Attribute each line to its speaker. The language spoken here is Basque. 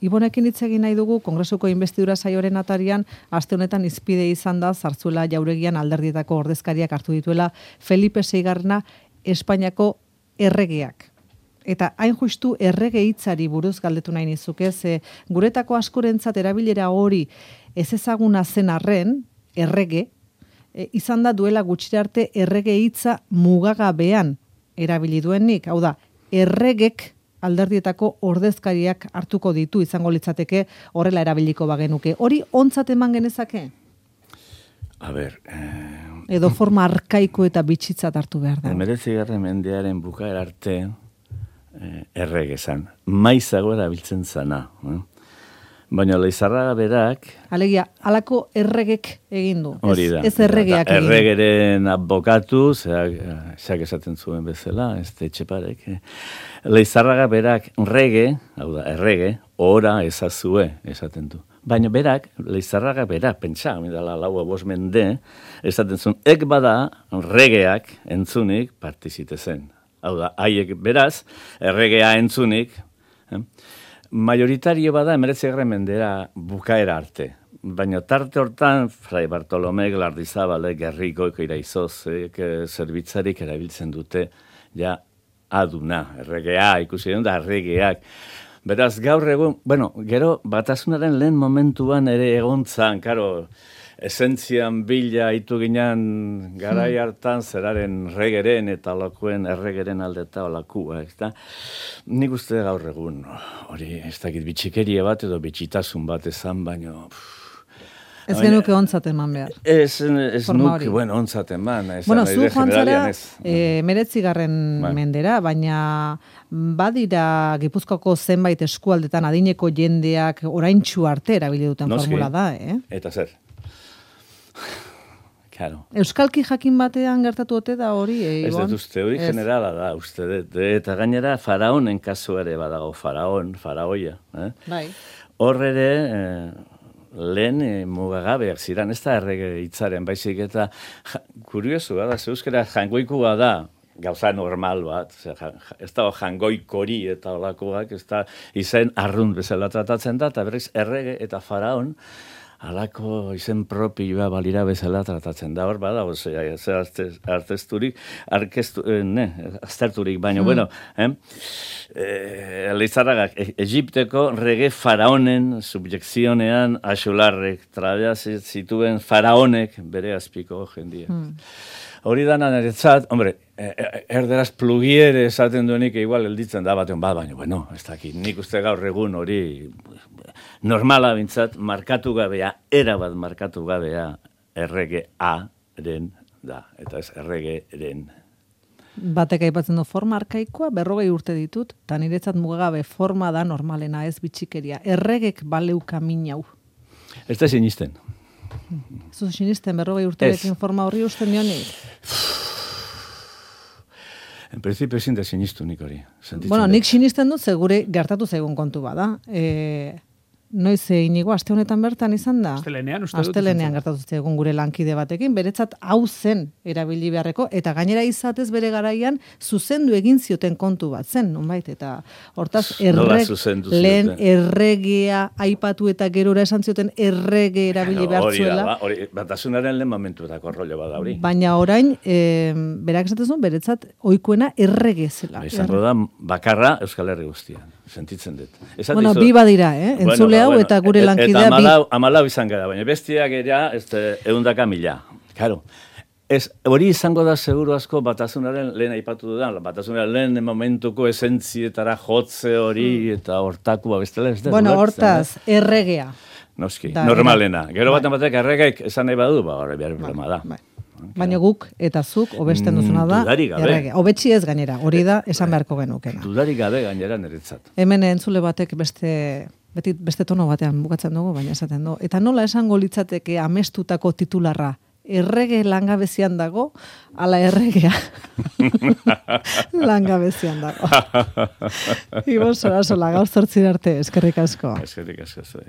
Speaker 1: Ibonekin hitz egin nahi dugu, Kongresuko inbestidura saioaren atarian, aste honetan izpide izan da, Zarzuela Jauregian alderdietako ordezkariak hartu dituela Felipe Seigarrena Espainiako erregeak. Eta hain justu errege hitzari buruz galdetu nahi nizuke, guretako askorentzat erabilera hori ez ezaguna zen arren, errege, izan da duela gutxira arte errege hitza mugagabean erabili duenik, hau da, erregek alderdietako ordezkariak hartuko ditu izango litzateke horrela erabiliko bagenuke. Hori ontzat eman genezake?
Speaker 2: A ber...
Speaker 1: Edo forma arkaiko eta bitxitzat hartu behar da.
Speaker 2: 19. mendearen bukaera arte errege zan. Maizago erabiltzen zana. Baina Leizarraga berak...
Speaker 1: Alegia, halako erregek egin du.
Speaker 2: Hori da.
Speaker 1: Ez erregeak egin du.
Speaker 2: Erregeren abokatu, zeak esaten zuen bezala, ez Etxeparek. Leizarraga berak rege, hau da, errege, ora ezazue esaten du. Baina berak, Leizarraga berak, pentsa, midala laua 5 mende, esaten zuen, ek bada regeak entzunik partizite zen. Hau da, haiek beraz, erregea entzunik, majoritario bada 19. mendera bukaera arte. Baina tarte hortan, Fray Bartolome, Glardizabale, Gerrikoik, Iraizozek, zerbitzarik erabiltzen dute, ja, aduna, erregea, ikusi den da, erregeak. Beraz, gaur egun, bueno, gero, batasunaren lehen momentuan ere egontzan, karo, esentzian bila hitu ginen garai hartan zeraren regeren eta olakuen erregeren aldeta olakua, ez da? Nik uste gaur egun, hori, ez dakit bitxikeria bat edo bitxitasun bat ezan, baino...
Speaker 1: Ez genuke ontzat eman behar.
Speaker 2: Ez nuke, bueno, ontzat eman.
Speaker 1: Bueno, zu joan zara 19. mendera, baina badira Gipuzkoako zenbait eskualdetan adineko jendeak oraintsu arte erabili duten formula da,
Speaker 2: Eta zer? Claro.
Speaker 1: Euskalki jakin batean gertatu ote da hori,
Speaker 2: Ez dut uste, hori generala da, uste dut. Eta gainera, faraonen kasu ere badago, faraoia.
Speaker 1: Bai.
Speaker 2: Hor ere, lehen mugagabeak ziren, ez da errege hitzaren, baizik eta kuriosu da, euskara jangoikua da, gauza normal bat, ez da jangoikori eta olakoak, ez da izen arrunt bezala tratatzen da, eta berriz errege eta faraon, halako izen propioa balira bezala tratatzen da, hor badago, artesturik, azterturik, baina, bueno, Leizarragak, Egipteko rege faraonen subjekzionean axolarrek, trabeaz zituen faraonek bere azpiko jendia. Hori da naretzat, hombre, erderaz plugiere esaten duenik igual elditzen da batean bat, baina, bueno, ez dakit, nik uste gaur egun hori normala bintzat, markatu gabea, erabat markatu gabea, erregearen da, eta ez erregeren.
Speaker 1: Batek aipatzen du forma arkaikoa, 40 urte ditut, eta niretzat mugagabe forma da normalena, ez bitxikeria. Erregek baleuka minau.
Speaker 2: Ez da sinisten.
Speaker 1: Zuz sinisten, 40 urterekin forma horri usten dionik?
Speaker 2: En principio ezin da sinistu nik hori.
Speaker 1: Bueno, nik sinisten dut, segure gertatu zaigun kontu bada. Noiz inigo, aste honetan bertan izan da? Astelenean gertatu zaigun gure lankide batekin, beretzat hau zen erabili beharreko, eta gainera izatez bere garaian zuzendu egin zioten kontu bat zen, nonbait, eta hortaz lehen erregea aipatu eta gerora esan zioten errege erabili behar zuela.
Speaker 2: Hori, batasunaren lehen momentuetako rollo bada hori.
Speaker 1: Baina orain, berak esatzen zuen, beretzat oikuena errege zela.
Speaker 2: Izango da, bakarra Euskal Herri guztian. Sentitzen dut.
Speaker 1: Bueno, bi badira, entzule hau eta gure lankidea bi.
Speaker 2: Eta amalau izan gara, baina bestiak era 100.000. Claro. Hori izango da seguru asko batasunaren lehen aipatu dudan, batasunaren lehen momentuko esentzietara jotze hori eta hortakua bestela ez da.
Speaker 1: Bueno, hortaz, erregea.
Speaker 2: Noski, normalena. Gero batek erregeik esan nahi badu, hori behar problema da.
Speaker 1: Baina guk eta zuk hobesten duzuna da errege. Hobetsi ez gainera, hori da esan beharko genukena.
Speaker 2: Dudarik gabe gainera niretzat.
Speaker 1: Hemen entzule batek beste tono batean bukatzen dugu, baina esaten du. Eta nola esango litzateke amestutako titularra? Errege langabezian dago, ala erregea langabezian dago. Ibon Solasola, gaur 8 arte, eskerrik asko.
Speaker 2: Eskerrik asko.